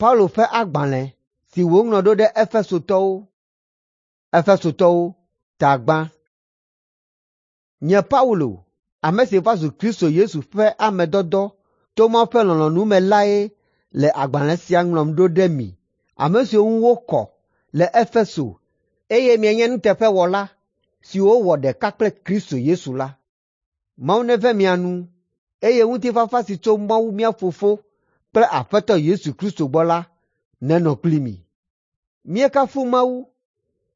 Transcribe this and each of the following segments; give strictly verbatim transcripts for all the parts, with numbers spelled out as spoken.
Paulo ƒe agbalẽ si wòŋlɔ ɖo ɖe Efesotɔwo. Efesotɔwo ta gbã. Nye Paulo, ame si va zu Kristo Yesu ƒe ame dɔdɔ to Mawu ƒe lɔlɔ̃nu me lae le agbalẽ sia ŋlɔm ɖo ɖe mi, ame siwo ŋu wokɔ le Efeso eye mienye nuteƒewɔla siwo wɔ ɖeka kple Kristo Yesu la. Mawu neve mia nu eye ŋutifafa si tso Mawu mía Fofo kple Aƒetɔ Yesu Kristo gbɔ la nenɔ kpli mi. Míekafu Mawu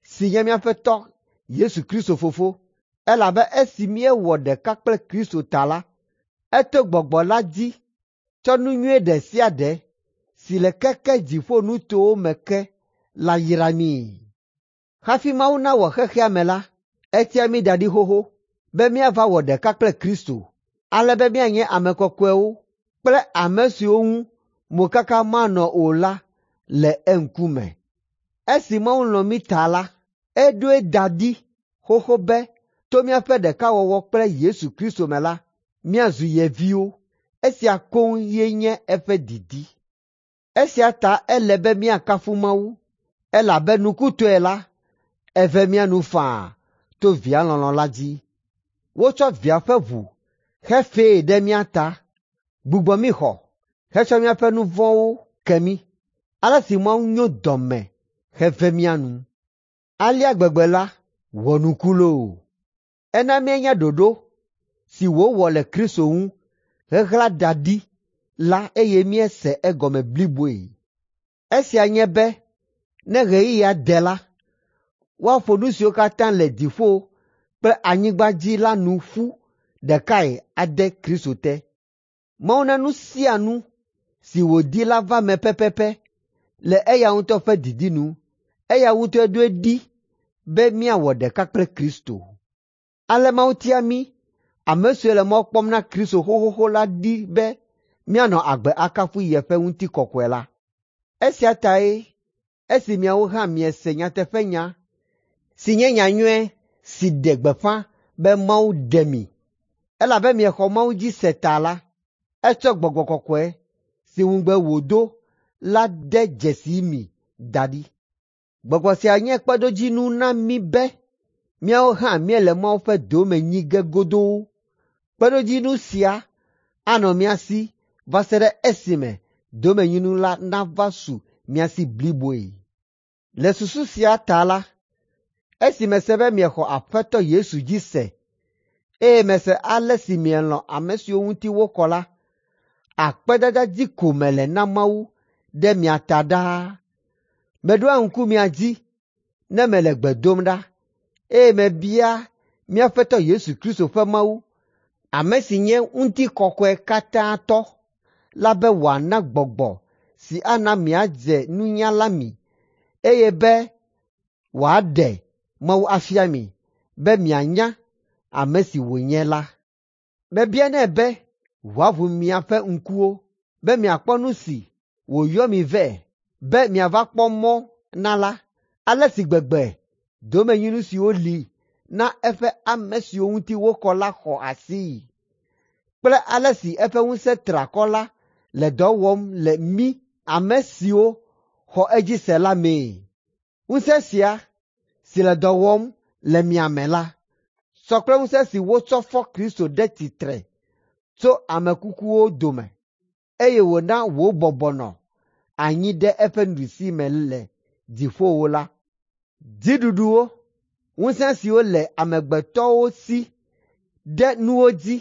si nye míaƒe Tɔ Yesu Kristo Fofo, elabe esi míewɔ ɖeka kple Kristo ta la, eto Gbɔgbɔ la dzi tsɔ nu nyui ɖe sia ɖe si le keke dziƒonutowo me ke la yra míi. Hafi Mawu nawɔ xexea me la, etia mí da ɖi xoxo be míava wɔ ɖeka kple Kristo, ale be míanye ame kɔkɔewo kple ame siwo ŋu mokaka manɔ o la le eŋkume. Esi Mawu lɔ̃ mí ta la, eɖoe da ɖi xoxo be to míaƒe ɖekawɔwɔ kple Yesu Kristo me la, míazu ye viwo. Esia koŋ ye nye eƒe didi. Esia ta ele be míakafu Mawu, elabe nukutɔe la, eve mía nu faa to Via lɔlɔ̃ la dzi. Wotsɔ Via ƒe ʋu xe fee ɖe mía ta, gbugbɔ mí xɔ hetsɔ míaƒe nu vɔ̃wo ke mí. Ale si Mawu nyo dɔme heve mía nu. Alea gbegbe la wɔ nuku loo! Ena míenya ɖoɖo si wòwɔ le Kristo ŋu heɣla da ɖi la eye míese egɔme bliboe. Esia nye be ne ɣeyiɣia de la, woaƒo nu siwo katã le dziƒo kple anyigba dzi la nu ƒu ɖekae ade Kristo te. Mawu na nu sia nu si wòdi la va eme pɛpɛpɛ le eya ŋutɔ ƒe didi nu. Eya ŋutɔe ɖoe ɖi be míawɔ ɖeka kple Kristo. Ale Mawu tia mí, ame siwo le mɔ kpɔm na Kristo xoxoxo la ɖi be míanɔ agbe akafu yeƒe ŋutikɔkɔe la. Esia tae esi miawo hã miese nyateƒenya si nye nyanyui si ɖe gbeƒã be Mawu ɖe mi, elabe miexɔ Mawu dzi se ta la, etsɔ Gbɔgbɔ Kɔkɔe si ŋugbe wòdo la de dzesi mi da ɖi. Gbɔgbɔ sia nye kpeɖodzinu na mí be míawo hã míele Mawu ƒe dome nyi ge godoo. Kpeɖodzinu sia anɔ mía si va se ɖe esime domenyinu la nava su mía si bliboe. Le susu sia ta la, esi mese be miexɔ Aƒetɔ Yesu dzi se, eye mese ale si mielɔ̃ ame siwo ŋuti wokɔ la, akpedada dzi ko mele na Mawu ɖe mia ta ɖaa. Meɖoa ŋku mia dzi ne mele gbe dom ɖa, eye mebia mía Aƒetɔ Yesu Kristo ƒe Mawu, ame si nye ŋutikɔkɔe katã tɔ la be wòana gbɔgbɔ si ana miadze nunya la mi, eye be wòaɖe Mawu afia mi be mianya ame si wònye la. Mebianɛ be wòaʋu miaƒe ŋkuwo be miakpɔ nu si wòyɔ mi vɛ be miava kpɔ mɔ na la, ale si gbegbe domenyinu siwo li na eƒe ame siwo ŋuti wokɔ la xɔ asii kple ale si eƒe ŋusẽ triakɔ la le dɔ wɔm le mí ame siwo xɔ edzi se la mee. Ŋusẽ sia si le dɔ wɔm le mia me la sɔ kple ŋusẽ si wotsɔ fɔ Kristo ɖe tsitre tso ame kukuwo dome eye wòna wòbɔbɔ nɔ anyi ɖe eƒe nuɖusime le dziƒowo la. Dziɖuɖuwo, ŋusẽ siwo le amegbetɔwo si ɖe nuwo dzi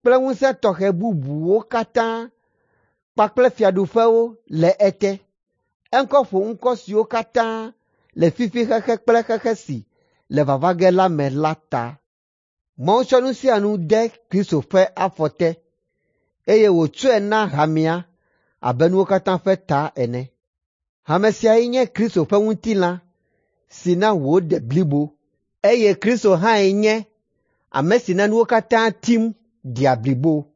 kple ŋusẽ tɔxɛ bubuwo katã kpakple fiaɖuƒewo le ete. Eŋkɔ ƒo ŋkɔ siwo katã le fifi xexe kple xexe si le vava ge la me la ta. Mawu tsɔ nu sia nu de Kristo ƒe afɔ te eye wòtsɔe na hamea abe nuwo katã ƒe ta ene. Hame siae nye Kristo ƒe ŋutilã si na wòde blibo eye Kristo hãe nye ame si na nuwo katã tim dea blibo.